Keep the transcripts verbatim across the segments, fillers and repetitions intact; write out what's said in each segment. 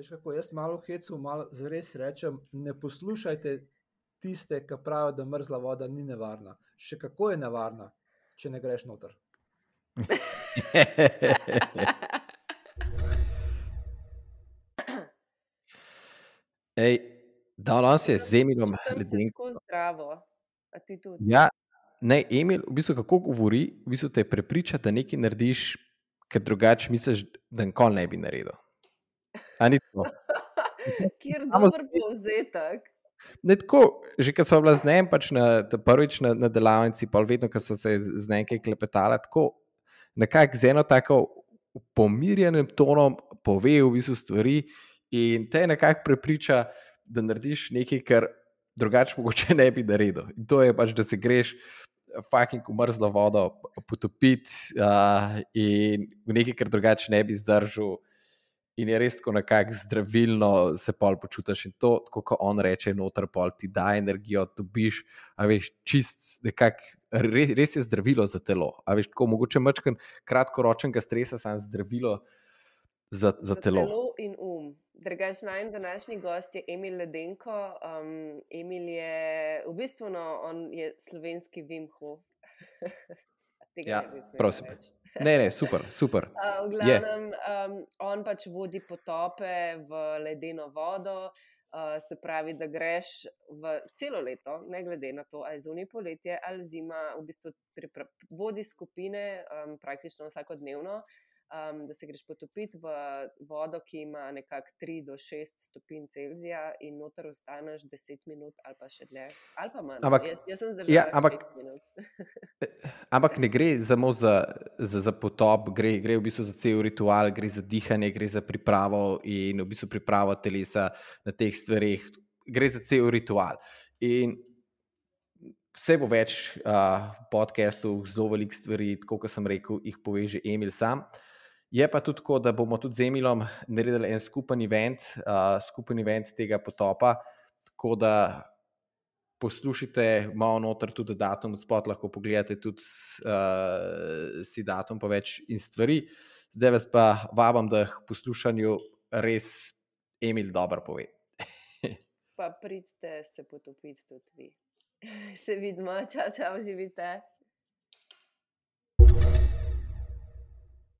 Veš kako, jaz malo hecu, malo zares rečem, ne poslušajte tiste, ki pravijo, da mrzla voda ni nevarna. Še kako je nevarna, če ne greš noter. Ej, danes je z Emilom Čutim se Ledenko. tako zdravo. A ti tudi? Ja, ne, Emil, v bistvu kako govori, v bistvu te prepriča, da nekaj narediš, ker drugače misliš, da nikoli ne bi naredil. A ni to? Kjer Samo dober povzetek. Ne tako, že ko smo bila z njim pač na, ta prvič na, na delavnici, pa vedno, ko so se z, z nekaj klepetala, tako nekako z eno tako pomirjenim tonom pove v bistvu stvari in te nekako prepriča, da narediš nekaj, kar drugače mogoče ne bi naredil. In to je pač, da se greš fucking v mrzlo vodo potopiti uh, in v nekaj, kar drugače ne bi zdržal. In je res tako nekako zdravilno se pol počutiš in to, tako kot on reče, noter pol ti da energijo, dobiš, a veš, čist nekako, res, res je zdravilo za telo. A veš, tako mogoče mačkan kratkoročnega stresa, samo zdravilo za, za, Za telo. telo in um. Drugač, najn današnji gost je Emil Ledenko. Um, Emil je, v bistvu, no, on je slovenski Wim Hof. Tega Ja, ne bi smela prosim. reči. Ne, ne, super, super. Uh, v Je. glavnem, um, on pač vodi potope v ledeno vodo, uh, se pravi, da greš v celo leto, ne glede na to, ali je zunaj poletje ali zima, v bistvu pripra- vodi skupine um, praktično vsakodnevno, um, da se greš potopiti v vodo, ki ima nekako tri do šest stopinj Celzija in noter ostaneš deset minut ali pa še dlje, ali pa manj. Ampak- Jaz, jaz sem zdržala ja, ampak- šest minut. Ampak ne gre samo za, za, za potop, gre, gre v bistvu za cel ritual, gre za dihanje, gre za pripravo in v bistvu pripravo telesa na teh stvareh, gre za cel ritual. In vse bo več uh, podcastov, zelo velik stvari, tako kot sem rekel, jih pove že Emil sam. Je pa tudi tako, da bomo tudi z Emilom naredili en skupen event, uh, skupen event tega potopa, tako da poslušajte malo noter tudi datum, spot lahko pogledate tudi uh, si datum pa več in stvari. Zdaj vas pa vabam, da k poslušanju res Emil dobro pove. Pa pridite se potopiti tudi vi. Se vidimo, čau, čau, živite.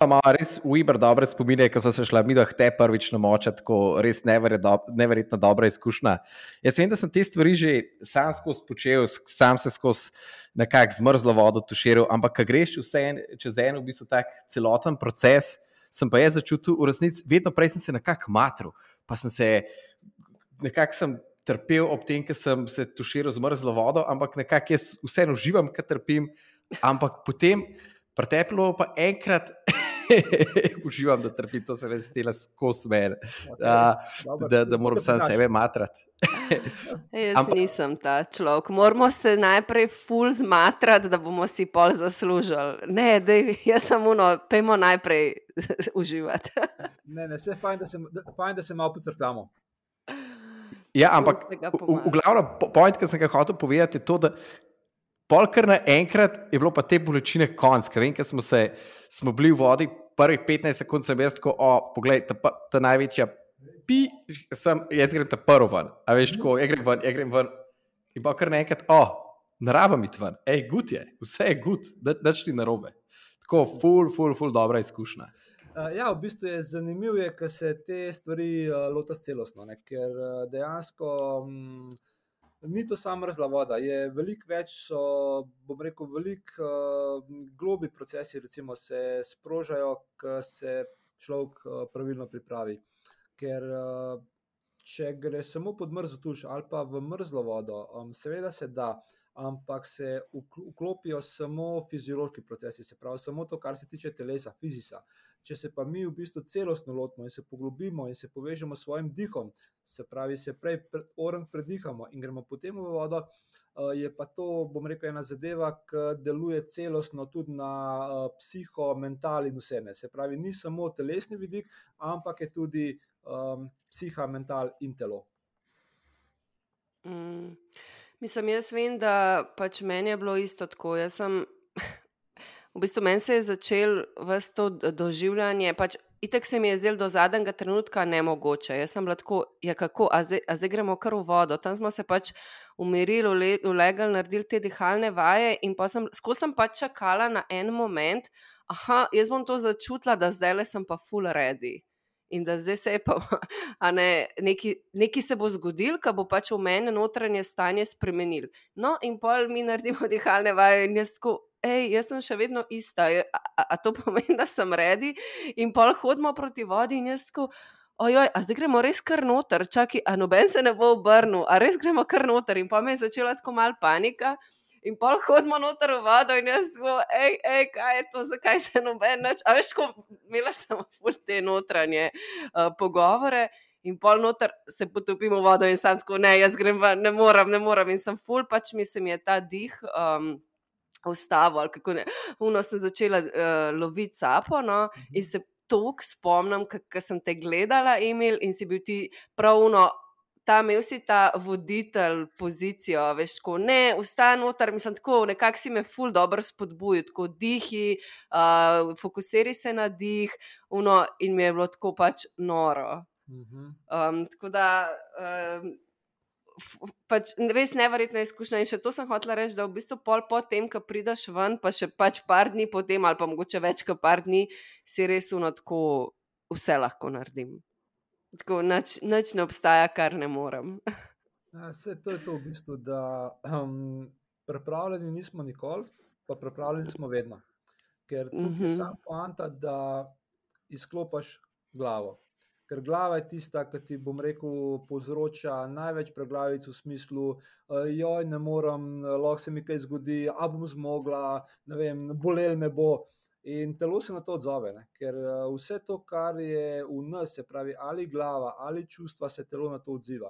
Imamo res uber dobre spomine, ko so se šla midva te prvič namočati, tako res neverjetno, neverjetno dobra izkušnja. Jaz vem, da sem te stvari že sam skozi počel, sam se skozi nekako zmrzlo vodo tuširal, ampak ko greš vse en, čez en v bistvu tak celoten proces, sem pa jaz začutil v resnici, vedno prej sem se nekako matril, pa sem se nekako sem trpel ob tem, ker sem se tuširal z mrzlo vodo, ampak nekako jaz vseeno uživam, ker trpim, ampak potem preteplo pa enkrat uživam, da trpim, to se res stela skozi mene, Okay, uh, da, da moram sam sebe matrati. Jaz Ampak... nisem ta človek. Moramo se najprej ful zmatrati, da bomo si pol zaslužili. Ne, dej, jaz sem uno, pejmo najprej uživati. Ne, ne, vse je fajn, da se, da, fajn, da se malo postrkamo. Ja, ampak v, v glavnem point, ki sem ga hotel povedati, je to, da pol kar naenkrat je bilo pa te bolečine konc, ker vem, ker smo, se, smo bili v vodi, prvih petnajst sekund sem jaz tako, o, poglej, ta, ta največja pi, sem, jaz grem ta prvo ven, a veš, tako, jaz grem ven, jaz grem ven, in pa kar naenkrat, o, ne rabim iti ven, ej, gut je, vse je gut, dač ti narobe. Tako, ful, ful, ful, dobra izkušnja. Uh, ja, v bistvu je zanimivo, ker se te stvari uh, lotaš celostno, ne? Ker uh, dejansko um, ni to samo mrzla voda, je veliko več, so, bom rekel, veliko uh, globi procesi recimo se sprožajo, ko se človek uh, pravilno pripravi. Ker uh, če gre samo pod mrzlo tuš ali pa v mrzlo vodo, um, seveda se da, ampak se vklopijo samo fiziološki procesi, se pravi samo to, kar se tiče telesa, fizisa. Če se pa mi v bistvu celostno lotimo in se poglobimo in se povežemo s svojim dihom, se pravi, se prej orang predihamo in gremo potem v vodo, je pa to, bom rekel, ena zadeva, ki deluje celostno tudi na psiho, mental in vse ne. Se pravi, ni samo telesni vidik, ampak je tudi um, psiha, mental in telo. Mm. Mislim, jaz vem, da pač meni je bilo isto tako. Jaz sem, v bistvu meni se je začel vse to doživljanje, pač itak se mi je zdelo do zadnjega trenutka nemogoče. Jaz sem bila tako, ja kako, a zdaj, a zdaj gremo kar v vodo. Tam smo se pač umirili, ulegali, naredili te dihalne vaje in pa sem, skozi sem pač čakala na en moment, aha, jaz bom to začutila, da zdaj le sem pa full ready. In da zdaj se je pa, a ne, neki, neki se bo zgodil, ko bo pač v mene notranje stanje spremenil. No, in pol mi naredimo dihalne vaje in jaz tako, ej, jaz sem še vedno ista, a, a, a to pomeni, da sem ready? In pol hodimo proti vodi in jaz tako, ojoj, a zdaj gremo res kar noter, čaki, a noben se ne bo obrnil, a res gremo kar noter? In pa me je začela tako mal panika. In pol hodimo noter v vodo in jaz go, ej, ej, kaj je to, zakaj se noben nič, a veš, ko imela sem ful te notranje uh, pogovore in pol noter se potopim v vodo in sam tako, ne, jaz grem ven, ne moram, ne moram in sem ful, pač mi se mi je ta dih um, ustavil, ali kako ne, uno sem začela uh, loviti sapo, no, in se toliko spomnim, kako sem te gledala, Emil, in si bil ti prav uno, ta imel si ta voditelj pozicijo, veš, tako, ne, vstaj noter, mislim, tako, nekako si me ful dobro spodbujil, tako, dihi, uh, fokusiri se na dih, uno, in mi je bilo tako pač noro. Um, tako da, um, f, pač res neverjetna izkušnja in še to sem hotela reči, da v bistvu pol po tem, ko prideš ven, pa še pač par dni potem, ali pa mogoče več kot par dni, si res uno tako vse lahko naredim. Tako, nič, nič ne obstaja, kar ne morem. Ja, vse to je to v bistvu, da um, pripravljeni nismo nikoli, pa pripravljeni smo vedno. Ker tukaj Mhm. je sam poanta, da izklopiš glavo. Ker glava je tista, ki ti, bom rekel, povzroča največ preglavic v smislu, uh, joj, ne morem, lahko se mi kaj zgodi, a bom zmogla, ne vem, bolel me bo. In telo se na to odzove, ne? Ker uh, vse to, kar je v nas, se pravi ali glava ali čustva, se telo na to odziva.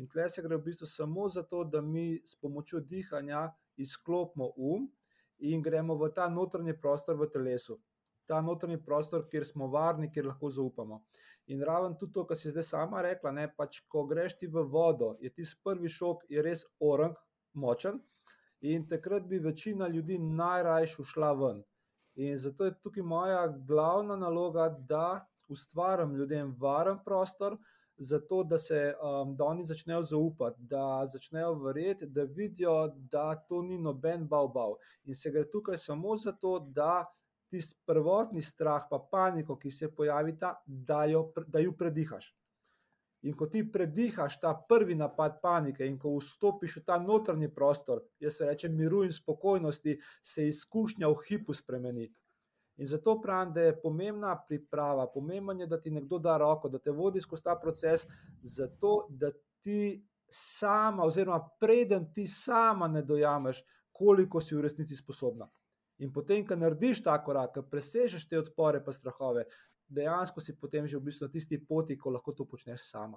In tle se gre v bistvu samo za to, da mi s pomočjo dihanja izklopimo um in gremo v ta notranji prostor v telesu. Ta notranji prostor, kjer smo varni, kjer lahko zaupamo. In raven tudi to, kar si zdaj sama rekla, ne, pač ko greš ti v vodo, je tisti prvi šok je res orang, močen in takrat bi večina ljudi najrajš ušla ven. In zato je tukaj moja glavna naloga, da ustvarim ljudem varen prostor, zato da se um, da oni začnejo zaupati, da začnejo verjeti, da vidijo, da to ni noben bav bav. In se gre tukaj samo zato, da tisti prvotni strah pa paniko, ki se pojavita, da jo, da jo predihaš. In ko ti predihaš ta prvi napad panike in ko vstopiš v ta notranji prostor, jaz rečem miru in spokojnosti, se izkušnja v hipu spremeni. In zato pravim, da je pomembna priprava, pomembno je, da ti nekdo da roko, da te vodi skozi ta proces, zato da ti sama oziroma preden ti sama ne dojameš, koliko si v resnici sposobna. In potem, ko narediš ta korak, ko presežeš te odpore pa strahove, dejansko si potem že v bistvu na tisti poti, ko lahko to počneš sama.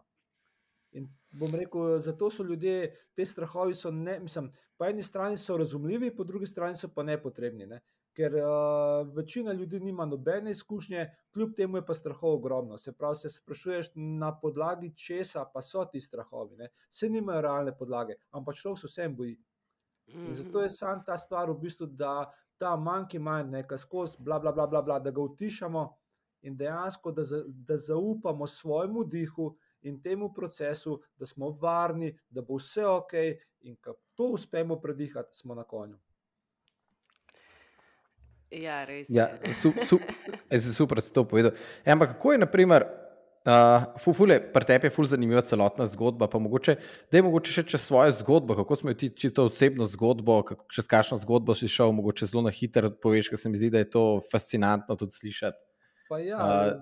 In bom rekel, zato so ljudje, te strahovi so, ne, mislim, po eni strani so razumljivi, po drugi strani so pa nepotrebni, ne? Ker uh, večina ljudi nima nobene izkušnje, kljub temu je pa strahov ogromno. Se pravi, se sprašuješ, na podlagi česa pa so ti strahovi, ne? Se nimajo realne podlage, ampak človek se vsem boji. In zato je sam ta stvar v bistvu, da ta monkey mind, ne, skozi bla, bla, bla, bla, bla, da ga utišamo in dejansko, da, za, da zaupamo svojemu dihu in temu procesu, da smo varni, da bo vse ok in ko to uspemo predihati, smo na konju. Ja, res Ja, je. su, su, jaz sem super to povedal. E, ampak kako je, naprimer, uh, fule, pri tebi je ful zanimiva celotna zgodba, pa mogoče, da je mogoče še čez svojo zgodbo, kako smo ti čito osebno zgodbo, kako, čez kakšno zgodbo si šel, mogoče zelo na hitro poveš, ker se mi zdi, da je to fascinantno tudi slišati. Pa ja, Uh,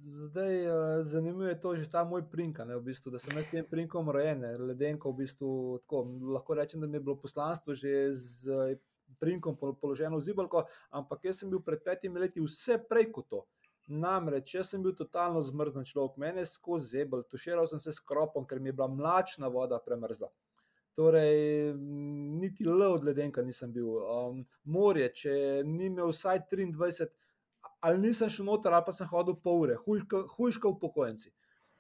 zdaj uh, zanimivo je to že ta moj prinka, ne, v bistvu, da sem jaz s tem prinkom rojen, ne, ledenko v bistvu, tako, lahko rečem, da mi je bilo poslanstvo že z prinkom položeno v zibelko, ampak jaz sem bil pred petimi leti vse prej kot to. Namreč, jaz sem bil totalno zmrznen človek, mene je skozi zebel, tuširal sem se s kropom, ker mi je bila mlačna voda premrzla. Torej, niti L od ledenka nisem bil. Um, morje, če ni imel vsaj triindvajset, ali nisem šel noter, ali pa sem hodil pol ure, hujška upokojenci.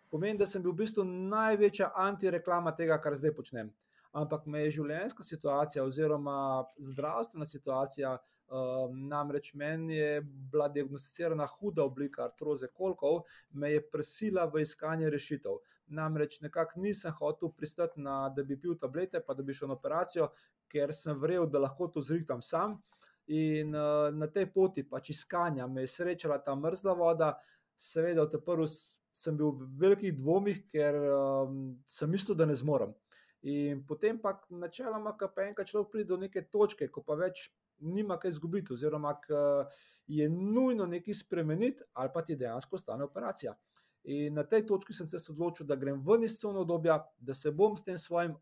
Pomeni, da sem bil v bistvu največja antireklama tega, kar zdaj počnem. Ampak me je življenjska situacija oziroma zdravstvena situacija Um, namreč meni je bila diagnosticirana huda oblika artroze kolkov, me je prisila v iskanje rešitev. Namreč nekako nisem hotel pristati na, da bi pil tablete, pa da bi šel na operacijo, ker sem verjel, da lahko to zrihtam sam. In uh, na tej poti pač iskanja me je srečala ta mrzla voda. Seveda, od prvi sem bil v velikih dvomih, ker um, sem mislil, da ne zmorem. In potem pa načeloma, ko pa enkrat človek pride do neke točke, ko pa več nima kaj izgubiti, oziroma je nujno nekaj spremeniti, ali pa ti dejansko stane operacija. In na tej točki sem se odločil, da grem ven iz cone obdobja, da se bom s tem svojim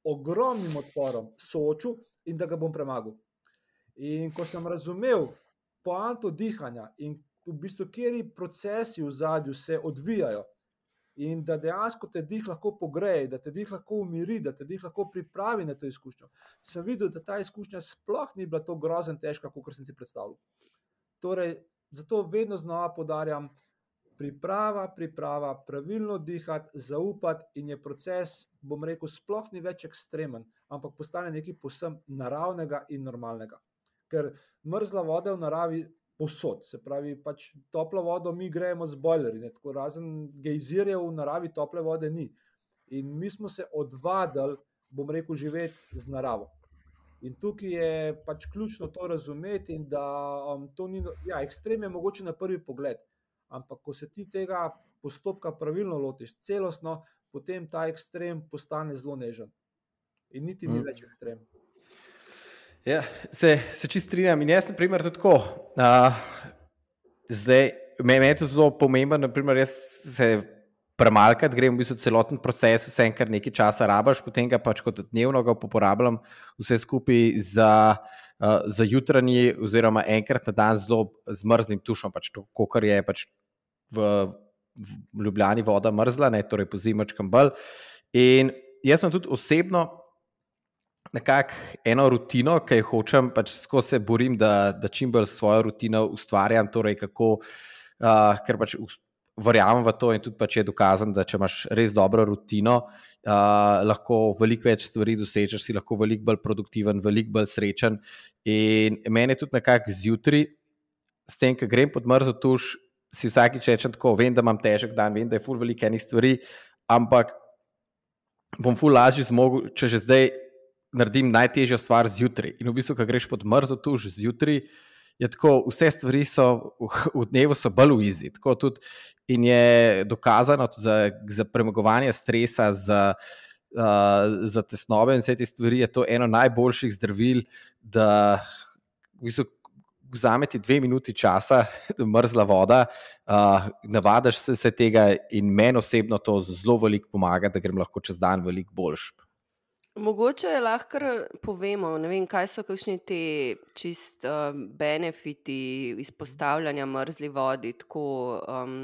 ogromnim odporom soočil in da ga bom premagal. In ko sem razumel poanto dihanja in v bistvu, kateri procesi v zadju se odvijajo, in da dejansko te dih lahko pogreje, da te dih lahko umiri, da te dih lahko pripravi na to izkušnjo, sem videl, da ta izkušnja sploh ni bila to grozen težka, kot sem si predstavljal. Torej, zato vedno znova poudarjam, priprava, priprava, pravilno dihati, zaupati in je proces, bom rekel, sploh ni več ekstremen, ampak postane nekaj povsem naravnega in normalnega. Ker mrzla voda v naravi posod, se pravi, pač toplo vodo mi grejemo z bojlerji, ne, tako razen gejzirjev v naravi tople vode ni. In mi smo se odvadili, bom rekel, živeti z naravo. In tukaj je pač ključno to razumeti in da um, to ni, ja, ekstrem je mogoče na prvi pogled, ampak ko se ti tega postopka pravilno lotiš, celostno, potem ta ekstrem postane zelo nežen. In niti ni mm. več ekstrem. Ja, se, se čist strinjam in jaz, na primer, tudi tako. Uh, zdaj, meni je to zelo pomembno, na primer, jaz se premalkrat grem v bistvu celoten proces, vse enkrat nekaj časa rabaš, potem ga pač kot dnevno ga uporabljam vse skupaj za, uh, za jutranji oziroma enkrat na dan zelo z mrzlim tušom, pač to, kakor je pač v, v Ljubljani voda mrzla, ne, torej po zimačkem bolj. In jaz sem tudi osebno nekako eno rutino, ki jo hočem, pač skozi se borim, da, da čim bolj svojo rutino ustvarjam, torej kako, uh, ker pač verjamem v to in tudi pač je dokazano, da če imaš res dobro rutino, uh, lahko veliko več stvari dosežeš, si lahko veliko bolj produktiven, veliko bolj srečen. In meni je tudi nekako zjutraj, s tem, ko grem pod mrzlo tuš, si vsakič rečem tako, vem, da imam težek dan, vem, da je ful veliko enih stvari, ampak bom ful lažje zmogel, če že zdaj naredim najtežjo stvar zjutraj. In v bistvu, ko greš pod mrzlo tuš zjutraj, je tako, vse stvari so v dnevu so bolj v izi. Tako tudi in je dokazano za, za premagovanje stresa, za, uh, za tesnobe in vse te stvari, je to eno najboljših zdravil, da v bistvu vzame ti dve minuti časa, mrzla voda, uh, navadaš se, se tega in meni osebno to zelo veliko pomaga, da grem lahko čez dan veliko boljš. Mogoče lahko povemo, ne vem, kaj so kakšni ti čist uh, benefiti izpostavljanja mrzli vodi, tako, um,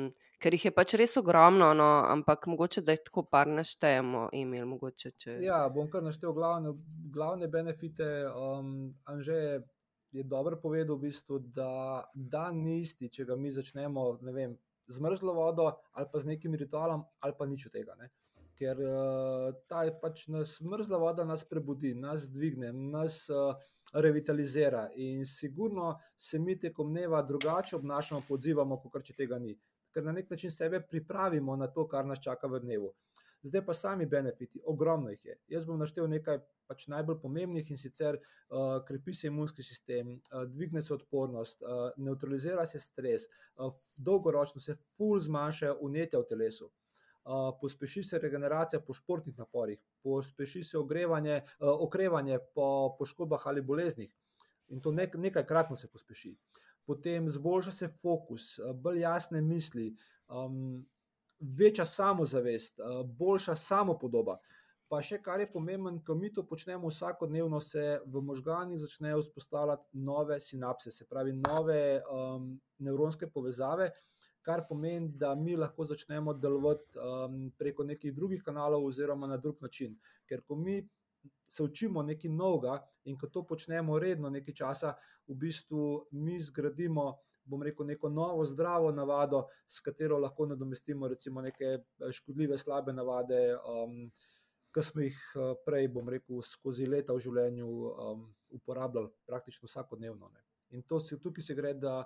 ker jih je pač res ogromno, no, ampak mogoče, da jih tako par naštejemo, Emil, mogoče, če... Ja, bom kar naštel glavne, glavne benefite. Um, Anže je dobro povedal v bistvu, da dan ni isti, če ga mi začnemo, ne vem, z mrzlo vodo ali pa z nekim ritualom ali pa nič od tega, ne. Ker uh, ta pač nas mrzla voda nas prebudi, nas dvigne, nas uh, revitalizira in sigurno se mi tekom dneva drugače obnašamo, odzivamo, kot če tega ni. Ker na nek način sebe pripravimo na to, kar nas čaka v dnevu. Zdaj pa sami benefiti, ogromno jih je. Jaz bom naštel nekaj pač najbolj pomembnih in sicer uh, krepi se imunski sistem, uh, dvigne se odpornost, uh, neutralizira se stres, uh, dolgoročno se ful zmanjšajo vnetja v telesu. Uh, pospeši se regeneracija po športnih naporih, pospeši se ogrevanje, uh, okrevanje po poškodbah ali boleznih in to nek, nekajkratno se pospeši. Potem zboljša se fokus, uh, bolj jasne misli, um, večja samozavest, uh, boljša samopodoba. Pa še kar je pomemben, ko mi to počnemo vsakodnevno, se v možganih začnejo vzpostavljati nove sinapse, se pravi nove um, nevronske povezave, kar pomeni, da mi lahko začnemo delovati um, preko nekih drugih kanalov oziroma na drug način. Ker ko mi se učimo nekaj novega in ko to počnemo redno nekaj časa, v bistvu mi zgradimo, bom rekel, neko novo zdravo navado, s katero lahko nadomestimo recimo neke škodljive slabe navade, um, ki smo jih prej, bom rekel, skozi leta v življenju um, uporabljali praktično vsakodnevno, ne. In to se, tukaj se gre, da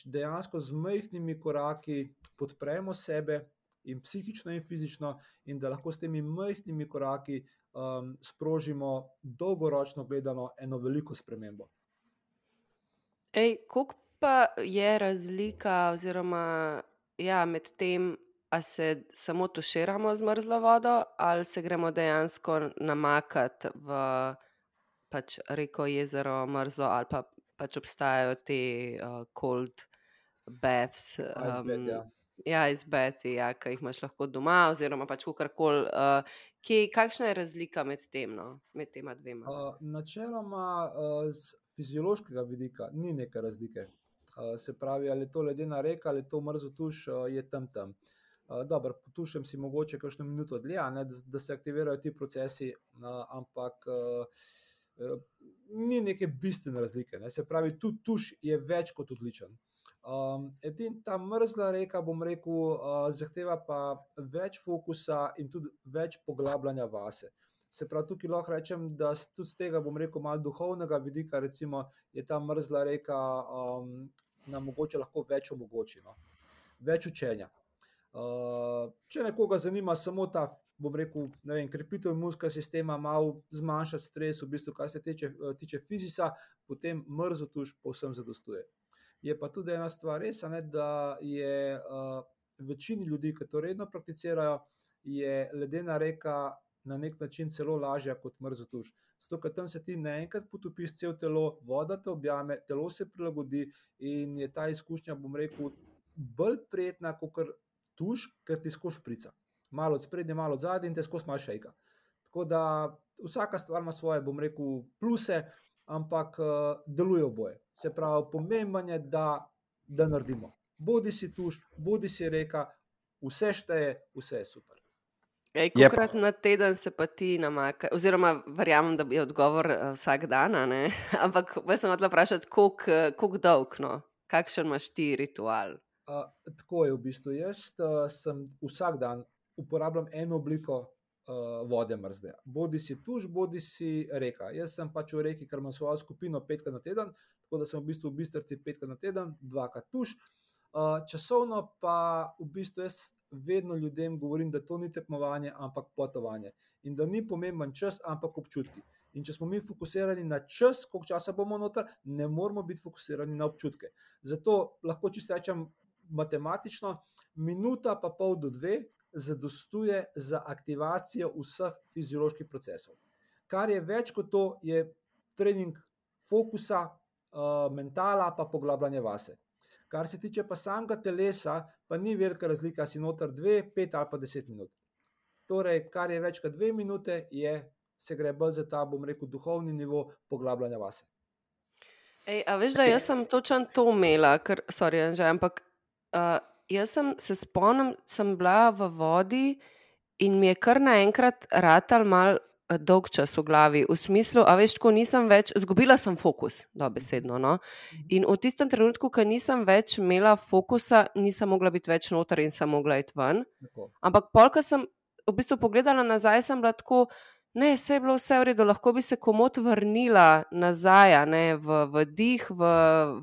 dejansko z majhnimi koraki podpremo sebe in psihično in fizično in da lahko s temi majhnimi koraki um, sprožimo dolgoročno gledano eno veliko spremembo. Ej, koliko pa je razlika oziroma ja, med tem, a se samo tuširamo z mrzlo vodo ali se gremo dejansko namakati v pač reko, jezero, mrzlo ali pa pač obstajajo te uh, cold baths. A, izbed, ja. Ja, izbeti, ja, ki jih imaš lahko doma oziroma pač kakorkoli. Uh, kje, kakšna je razlika med tem, no, med tema dvema? Uh, načeloma uh, z fiziološkega vidika ni neke razlike. Uh, se pravi, ali je to ledena reka ali je to mrzlo tuš, uh, je tam tam. Uh, dobro, potušem si mogoče kakšno minuto dlje, ne, da, da se aktivirajo ti procesi, uh, ampak uh, uh, ni neke bistvene razlike. Ne. Se pravi, tudi tuš je več kot odličen. Um, edin ta mrzla reka, bom rekel, uh, zahteva pa več fokusa in tudi več poglabljanja vase. Se pravi, tukaj lahko rečem, da tudi z tega, bom rekel, malo duhovnega vidika, recimo, je ta mrzla reka um, nam mogoče lahko več omogoči, no? Več učenja. Uh, če nekoga zanima samo ta, bom rekel, ne vem, krepitev imunskega sistema, malo zmanjšati stres, v bistvu, kar se tiče, tiče fizisa, potem mrzlo tuš povsem zadostuje. Je pa tudi ena stvar res, ne, da je uh, večini ljudi, ki to redno prakticirajo, je ledena reka na nek način celo lažja kot mrzlo tuš. Zato, ker tam se ti naenkrat potopiš cel telo, voda te objame, telo se prilagodi in je ta izkušnja, bom rekel, bolj prijetna kot tuš, ker ti skozi šprica. Malo od sprednje, malo od zadnje in te skozi malo šejka. Tako da vsaka stvar ima svoje, bom rekel, pluse, ampak uh, deluje oboje. Se pravi, pomemben je, da, da naredimo. Bodi si tuš, bodi si reka, vse šteje, vse je super. Ej, kolikrat na teden se pa ti namaka, oziroma verjamem, da je odgovor uh, vsak dan, ne? Ampak jaz sem hotela vprašati, koliko, koliko dolg, no? Kakšen imaš ti ritual? Uh, tako je v bistvu. Jaz uh, sem vsak dan uporabljam eno obliko uh, vode mrzle. Bodi si tuš, bodi si reka. Jaz sem pač v reki, ker imam svojo skupino petkrat na teden, tako da sem v bistvu v Bistrici petkrat na teden, dvakrat tuš. Uh, časovno pa v bistvu jaz vedno ljudem govorim, da to ni tekmovanje, ampak potovanje. In da ni pomemben čas, ampak občutki. In če smo mi fokusirani na čas, koliko časa bomo noter, ne moramo biti fokusirani na občutke. Zato lahko čisto rečem matematično, minuta pa pol do dve zadostuje za aktivacijo vseh fizioloških procesov. Kar je več kot to, je trening fokusa, uh, mentala pa poglabljanje vase. Kar se tiče pa samega telesa, pa ni velika razlika, si noter dve, pet ali pa deset minut. Torej, kar je več kot dve minute, je, se gre bolj za ta, bom rekel, duhovni nivo poglabljanja vase. Ej, a veš, da jaz sem točno to imela, ker, sorry, Anže, ampak uh, jaz sem se spomnim, sem bila v vodi in mi je kar naenkrat ratal mal dolg čas v glavi, v smislu, a veš, ko nisem več, zgubila sem fokus, dobesedno, no, in v tistem trenutku, ko nisem več imela fokusa, nisem mogla biti več noter in sem mogla iti ven, Tako. Ampak pol, ko sem v bistvu pogledala nazaj, sem bila tako, ne, vse je bilo vse v redu, lahko bi se komot vrnila nazaj, ne, v, v dih, v,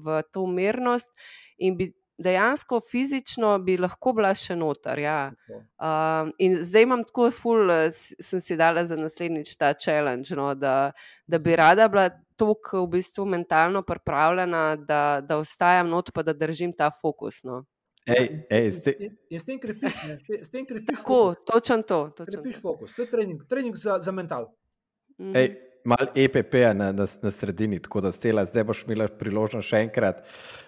v to mirnost in bi dejansko fizično bi lahko bila še noter, ja. Um, in zdaj imam tako ful, sem si dala za naslednjič ta challenge, no, da, da bi rada bila toliko v bistvu mentalno pripravljena, da, da ostajam not, pa da držim ta fokus, no. Ej, ej, ste... in, in s tem krepiš, ne, s tem krepiš tako, fokus. točen to. Točen Krepiš to. fokus, to je trening, trening za, za mental. Mhm. Ej, malo E P P-ja na, na, na sredini, tako da stela, zdaj boš imela priložnost še enkrat.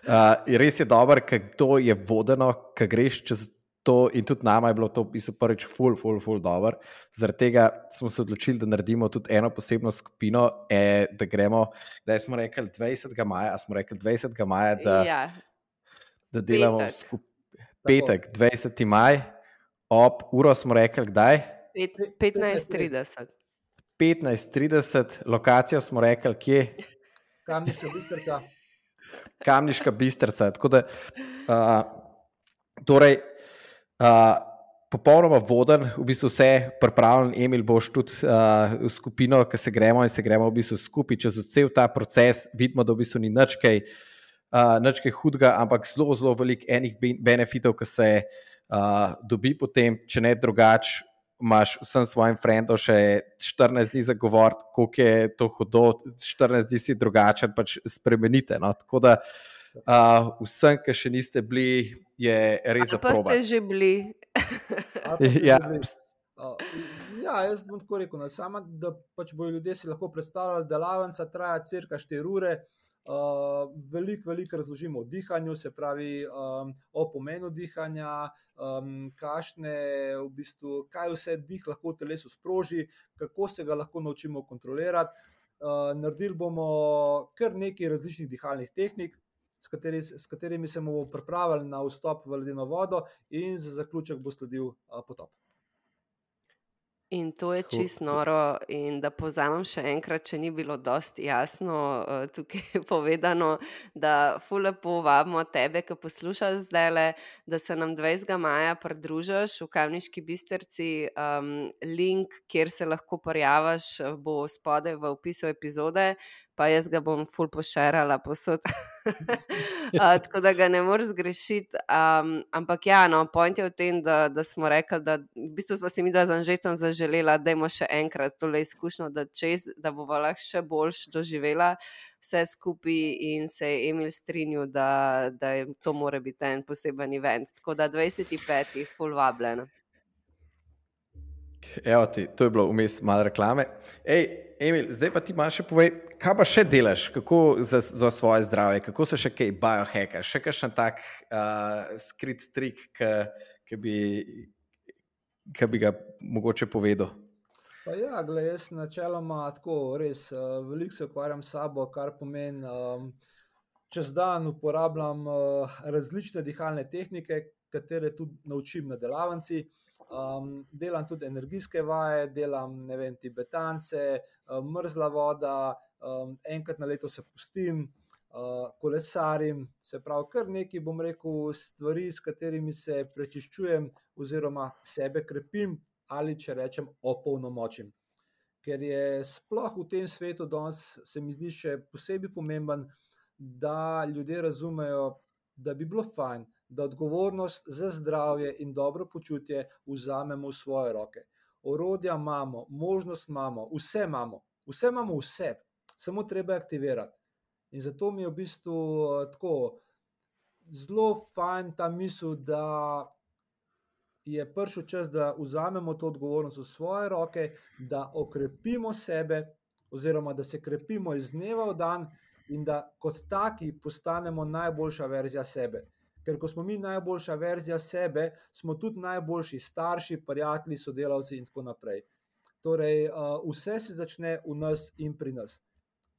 Uh, res je dobro, ker to je vodeno, ker greš čez to in tudi nama je bilo to v bistvu prvič ful, ful, ful dobro. Zaradi tega smo se odločili, da naredimo tudi eno posebno skupino, e, da gremo, da smo rekli dvajsetega maja, a smo rekli dvajsetega maja, da, Ja, da delamo Petek. skupaj. Petek, dvajseti maj, ob uro smo rekli, kdaj? pet, petnajst trideset. petnajst trideset, lokacijo smo rekli, kje? Kamniška Bistrica. Kamniška Bistrica. Tako da, uh, torej, uh, popolnoma voden, v bistvu vse pripravljen. Emil, boš tudi uh, v skupino, ki se gremo in se gremo v bistvu skupaj čez cel ta proces. Vidimo, da v bistvu ni nič kaj, uh, nič kaj hudega, ampak zelo, zelo veliko enih benefitov, ki se uh, dobi potem, če ne drugače. Imaš vsem svojim frendom še štirinajst dni za govoriti, koliko je to hudo, štirinajst dni si drugačen, pač spremenite. No? Tako da uh, vsem, ki še niste bili, je res za probat. Pa ste že bili. Ja. Ja, jaz bom tako rekel, no, sama, da pač bojo ljudje si lahko predstavljali, da delavnica traja cirka štiri ure, uh, veliko, veliko razložimo o dihanju, se pravi um, o pomenu dihanja, um, kašne, v bistvu, kaj vse dih lahko v telesu sproži, kako se ga lahko naučimo kontrolirati. Uh, naredili bomo kar nekaj različnih dihalnih tehnik, S, kateri, s katerimi se bomo pripravili na vstop v ledeno vodo in za zaključek bo sledil uh, potop. In to je čisto noro. In da povzamem še enkrat, če ni bilo dosti jasno uh, tukaj povedano, da ful lepo vabimo tebe, ki poslušaš zdajle, da se nam dvajsetega maja pridružiš v Kamniški Bistrici. Um, link, kjer se lahko prijaviš, bo spodaj v opisu epizode, pa jaz ga bom ful pošerala posod. uh, tako da ga ne moreš zgrešiti. Um, ampak ja, no, point je v tem, da, da smo rekli, da v bistvu smo si mi da z Anžetom zaželela, da imamo še enkrat tole izkušnjo, da čez, da bova lahko še boljš doživela vse skupaj in se je Emil strinjal, da, da je, to mora biti en poseben event. Tako da dvajseti peti ful vabljena. Evo ti, to je bilo vmes malo reklame. Ej, Emil, zdaj pa ti malo še povej, kaj pa še delaš, kako za, za svoje zdravje, kako se še kaj biohackaš, še kakšen tak uh, skrit trik, ki bi, ki bi ga mogoče povedal? Pa ja, gled, jaz načeloma tako res uh, veliko se ukvarjam s sabo, kar pomeni um, čez dan uporabljam uh, različne dihalne tehnike, katere tudi naučim na delavnici. Um, delam tudi energijske vaje, delam ne vem, tibetance, um, mrzla voda, um, enkrat na leto se pustim, uh, kolesarim, se pravi kar nekaj, bom rekel, stvari, s katerimi se prečiščujem oziroma sebe krepim ali če rečem opolnomočim. Ker je sploh v tem svetu danes se mi zdi še posebej pomemben, da ljudje razumejo, da bi bilo fajn, da odgovornost za zdravje in dobro počutje vzamemo v svoje roke. Orodja imamo, možnost imamo, vse imamo, vse imamo vse, samo treba aktivirati. In zato mi je v bistvu tako zelo fajn ta misel, da je prišel čas, da vzamemo to odgovornost v svoje roke, da okrepimo sebe oziroma da se krepimo iz dneva v dan in da kot taki postanemo najboljša verzija sebe. Ker ko smo mi najboljša verzija sebe, smo tudi najboljši starši, prijatelji, sodelavci in tako naprej. Torej, vse se začne v nas in pri nas.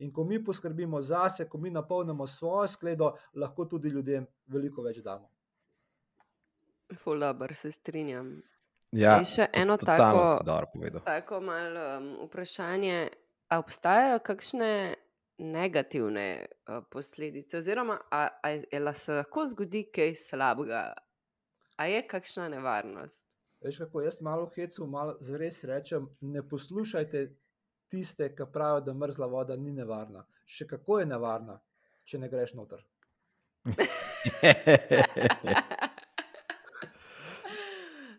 In ko mi poskrbimo zase, ko mi napolnimo svojo skledo, lahko tudi ljudem veliko več damo. Ful dobro, se strinjam. Ja, in še eno tako, tako malo um, vprašanje, a obstajajo kakšne negativne uh, posledice, oziroma a, a, a se lahko zgodi kaj slabega, a je kakšna nevarnost? Veš kako, jaz malo hecu, malo zares rečem, ne poslušajte tiste, ki pravijo, da mrzla voda ni nevarna. Še kako je nevarna, če ne greš noter.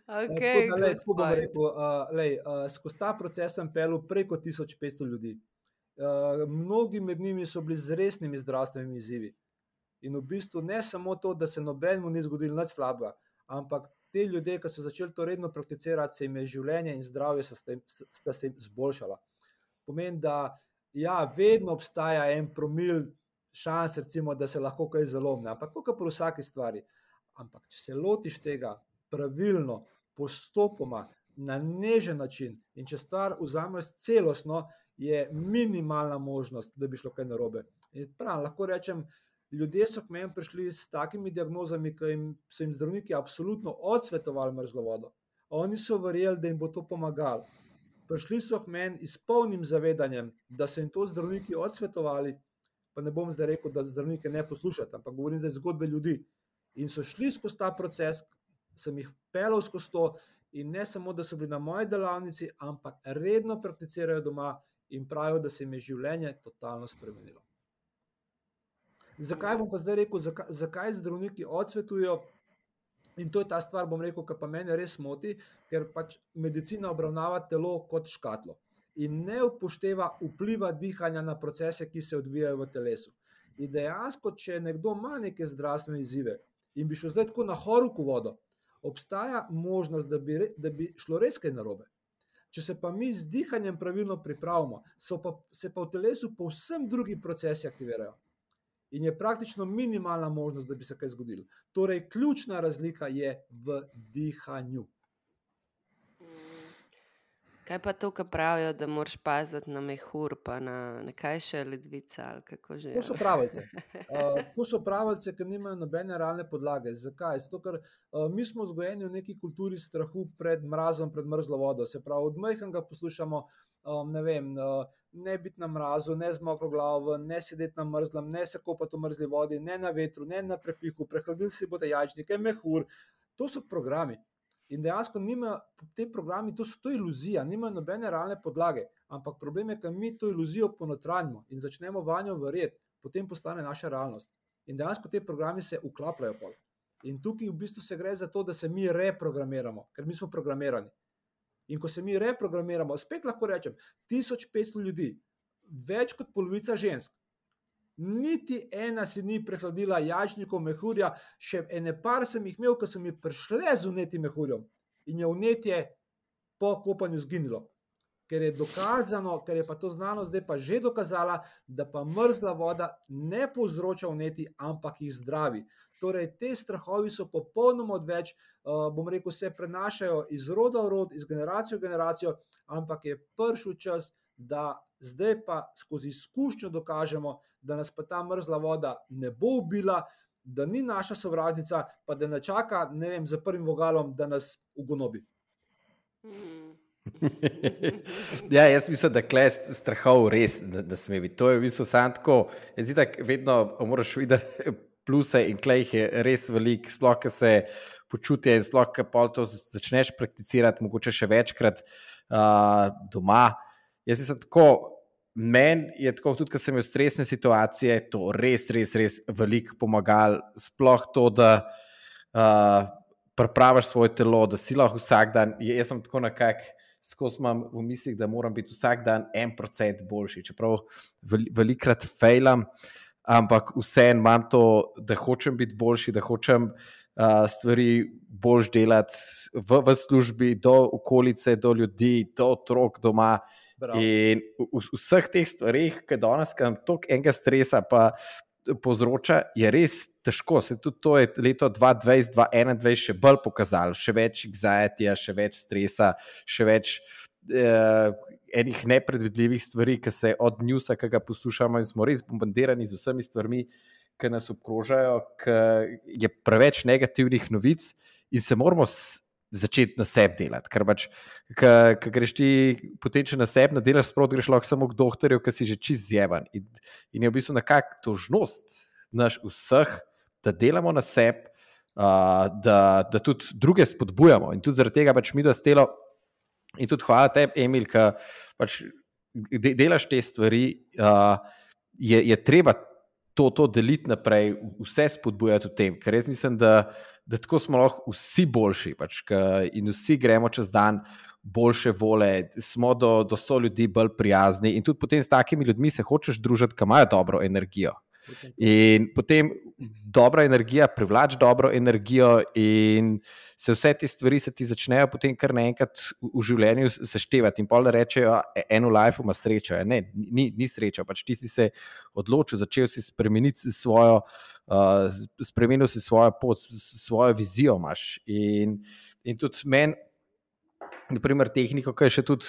Okay, tako da, lej, tako bom rekel, uh, lej, uh, skozi ta proces sem pelil preko tisoč petsto ljudi. Uh, mnogi med njimi so bili z resnimi zdravstvenimi izzivi. In v bistvu ne samo to, da se nobenemu ni zgodilo nič slabega, ampak te ljudje, ki so začeli to redno prakticirati, se jim je življenje in zdravje sta se jim zboljšala. Pomeni, da ja, vedno obstaja en promil šans, recimo, da se lahko kaj zalomne, ampak to, kar pri vsaki stvari. Ampak če se lotiš tega pravilno, postopoma, na nežen način in če stvar vzameš celostno, je minimalna možnost, da bi šlo kaj narobe. In prav, lahko rečem, ljudje so k meni prišli s takimi diagnozami, ki jim, so jim zdravniki absolutno odsvetovali mrzlo vodo. Oni so verjeli, da jim bo to pomagalo. Prišli so k meni s polnim zavedanjem, da so jim to zdravniki odsvetovali, pa ne bom zdaj rekel, da zdravnike ne poslušati, ampak govorim zdaj zgodbe ljudi. In so šli skozi ta proces, sem jih pelal skozi to in ne samo, da so bili na moji delavnici, ampak redno prakticirajo doma in pravijo, da se jim je življenje totalno spremenilo. Zakaj bom pa zdaj rekel, zakaj, zakaj zdravniki odsvetujo? In to je ta stvar, bom rekel, ki pa mene res moti, ker pač medicina obravnava telo kot škatlo in ne upošteva vpliva dihanja na procese, ki se odvijajo v telesu. In dejansko, če nekdo ima neke zdravstvene izzive in bi šel zdaj tako na horuk v vodo, obstaja možnost, da bi, da bi šlo res kaj narobe. Če se pa mi z dihanjem pravilno pripravimo, so pa, se pa v telesu povsem drugi procesi aktivirajo. In je praktično minimalna možnost, da bi se kaj zgodilo. Torej, ključna razlika je v dihanju. Kaj pa to, kar pravijo, da moraš paziti na mehur, pa na nekaj še ledvica, ali kako že? To so pravljice. Uh, to so pravljice, ki nimajo nobene realne podlage. Zakaj? Zato, ker uh, mi smo vzgojeni v neki kulturi strahu pred mrazom, pred mrzlo vodo. Se pravi, od majhnega poslušamo, um, ne vem, uh, ne biti na mrazu, ne z mokro glavo, ne sedeti na mrzlem, ne se kopati v mrzli vodi, ne na vetru, ne na prepihu, prehladili si boste jajčnike, mehur. To so programi. In dejansko nima, te programi, to so to iluzija, nimajo nobene realne podlage, ampak problem je, ker mi to iluzijo ponotranjimo in začnemo vanjo verjeti, potem postane naša realnost. In dejansko te programi se uklapljajo pol. In tukaj v bistvu se gre za to, da se mi reprogramiramo, ker mi smo programirani. In ko se mi reprogramiramo, spet lahko rečem, tisoč petsto ljudi, več kot polovica žensk, niti ena si ni prehladila jajčnikov, mehurja, še ene par sem jih imel, ko so mi prišle z vnetim mehurjem in je vnetje po kopanju zginilo. Ker je dokazano, ker je pa to znano zdaj pa že dokazala, da pa mrzla voda ne povzroča vneti, ampak jih zdravi. Torej, te strahovi so popolnoma odveč, uh, bom rekel, se prenašajo iz roda v rod, iz generacijo v generacijo, ampak je prišel čas, da zdaj pa skozi izkušnjo dokažemo, da nas pa ta mrzla voda ne bo ubila, da ni naša sovražnica, pa da ne čaka, ne vem, za prvim vogalom, da nas ugonobi. Ja, jaz mislim, da kle strahov res, da, da sme biti. To je v bistvu sam tako, jaz itak vedno moraš videti pluse in kle jih je res veliko, sploh, ko se počutje in sploh, ko pol to začneš prakticirati, mogoče še večkrat uh, doma. Jaz sem tako, meni je tako, tudi ko sem imel stresne situacije, to res, res, res veliko pomagal, sploh to, da uh, pripraviš svoje telo, da si lahko vsak dan, jaz sem tako nekako, skozi imam v mislih, da moram biti vsak dan en procent boljši, čeprav velikrat failam, ampak vseeno imam to, da hočem biti boljši, da hočem uh, stvari boljš delati v, v službi, do okolice, do ljudi, do otrok doma. Bravo. In v, v vseh teh stvarih, ki danes kam toliko enega stresa pa povzroča, je res težko. Se tudi to je leto dva tisoč dvajset dva tisoč enaindvajset še bolj pokazalo. Še več anxiety, še več stresa, še več eh, enih nepredvidljivih stvari, ki se od newsa, ki ga poslušamo in smo res bombardirani z vsemi stvarmi, ki nas obkrožajo, ki je preveč negativnih novic in se moramo s, začeti na sebi delati. Ker pač, ko greš ti potem, če na sebi ne delaš, sprot greš lahko samo k doktorju, ki si že čist zjeban. In, in je v bistvu nekak tožnost naš vseh, da delamo na sebi, uh, da, da tudi druge spodbujamo. In tudi zaradi tega pač mi da stelo, in tudi hvala tebi, Emil, ki pač de, delaš te stvari, uh, je, je treba to, to deliti naprej, vse spodbujati v tem, ker jaz mislim, da, da tako smo lahko vsi boljši pač, in vsi gremo čez dan boljše vole, smo do, do so ljudi bolj prijazni in tudi potem s takimi ljudmi se hočeš družiti, ki imajo dobro energijo. In potem dobra energija privlači dobro energijo in se vse te stvari se ti začnejo potem kar naenkrat v, v življenju seštevati in pol da rečejo, eno life ima srečo. Ne, ni, ni sreča, pač ti si se odločil, začel si spremeniti svojo, uh, spremenil si svojo pot, svojo vizijo imaš. In, in tudi meni, naprimer tehniko, ki je še tudi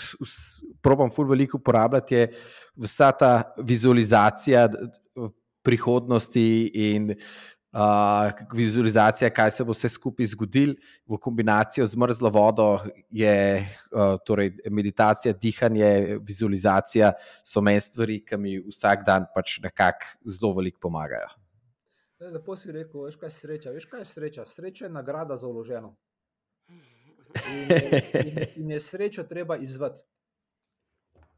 probam ful veliko uporabljati, je vsa ta vizualizacija prihodnosti in uh, vizualizacija, kaj se bo vse skupaj zgodilo v kombinacijo z mrzlo vodo, je uh, torej meditacija, dihanje, vizualizacija, so meni stvari, ki mi vsak dan pač nekako zelo veliko pomagajo. Lepo si rekel, veš kaj je sreča, veš kaj je sreča? Sreča je nagrada za vloženo. In, in, in je srečo treba izvati.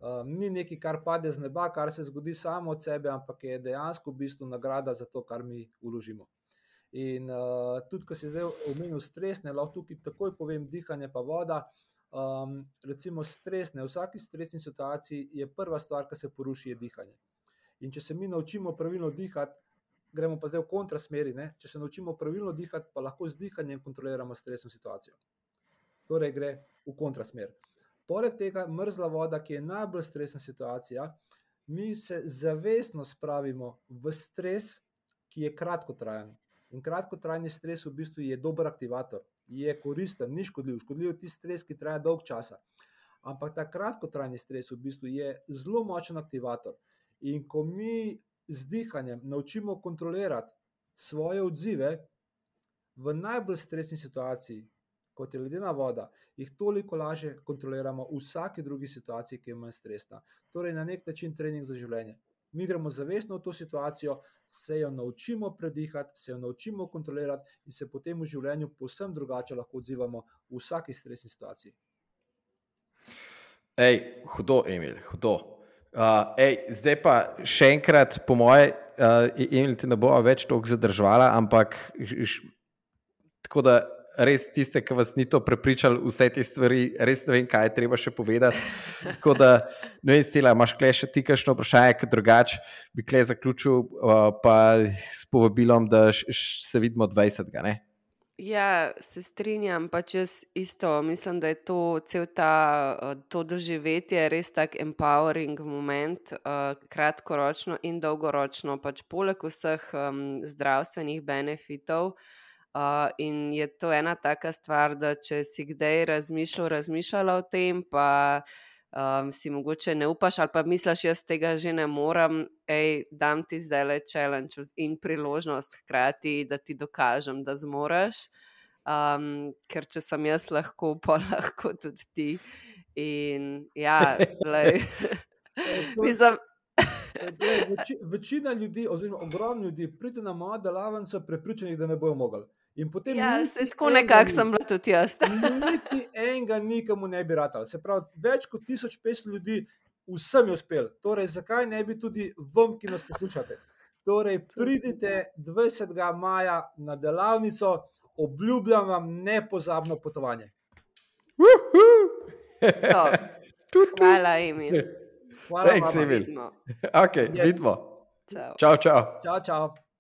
Um, ni nekaj, kar pade z neba, kar se zgodi samo od sebe, ampak je dejansko v bistvu nagrada za to, kar mi vložimo. In uh, tudi, ko si zdaj omenil stresne, lahko tukaj takoj povem dihanje pa voda. Um, recimo stresne, v vsaki stresni situaciji je prva stvar, ki se poruši, je dihanje. In če se mi naučimo pravilno dihati, gremo pa zdaj v kontrasmeri, ne? Če se naučimo pravilno dihati, pa lahko z dihanjem kontroliramo stresno situacijo. Torej gre v kontrasmer. Poleg tega mrzla voda, ki je najbolj stresna situacija, mi se zavestno spravimo v stres, ki je kratkotrajen. In kratkotrajni stres v bistvu je dober aktivator, je koristen, ni škodljiv. Škodljiv je tisti stres, ki traja dolg časa. Ampak ta kratkotrajni stres v bistvu je zelo močen aktivator. In ko mi z dihanjem naučimo kontrolirati svoje odzive v najbolj stresni situaciji, kot je ledena voda, jih toliko lažje kontroliramo v vsaki drugi situaciji, ki je manj stresna. Torej na nek način trening za življenje. Mi gremo zavestno v to situacijo, se jo naučimo predihati, se jo naučimo kontrolirati in se potem v življenju povsem drugače lahko odzivamo v vsaki stresni situaciji. Ej, hudo, Emil, hudo. Uh, ej, zdaj pa še enkrat, po moje, uh, Emil, te ne bo več toliko zadržvala, ampak š, tako da res tiste, ki vas ni to prepričali, vse te stvari, res ne vem, kaj je treba še povedati. Tako da, ne vem, Stela, imaš kle še ti kakšno vprašanje, ker drugače bi kle zaključil uh, pa s povabilom, da š, š, se vidimo dvajsetega, ne? Ja, se strinjam, pač jaz isto, mislim, da je to cel ta, to doživetje res tak empowering moment, uh, kratkoročno in dolgoročno, pač poleg vseh um, zdravstvenih benefitov. Uh, in je to ena taka stvar, da če si kdaj razmišljal, razmišljala o tem, pa um, si mogoče ne upaš ali pa misliš, jaz tega že ne morem, ej, dam ti zdajle challenge in priložnost hkrati, da ti dokažem, da zmoreš, um, ker če sem jaz lahko, pa lahko tudi ti. In ja, lej, mislim... Veči, večina ljudi, oziroma ogromno ljudi, pride na mojo delavnico prepričanih, da ne bojo mogli. In potem ja, se tako nekako sem bila tudi jaz. Niti enega nikomu ne bi ratalo. Se pravi, več kot tisoč petsto ljudi vsem je uspel. Torej, zakaj ne bi tudi vam, ki nas poslušate? Torej, pridite dvajsetega maja na delavnico, obljubljam vam nepozabno potovanje. Hvala, Emil. Hvala, Thanks, mama. Emil. Ok, Yes. vidimo. Čau. Čau, čau. Čau, čau.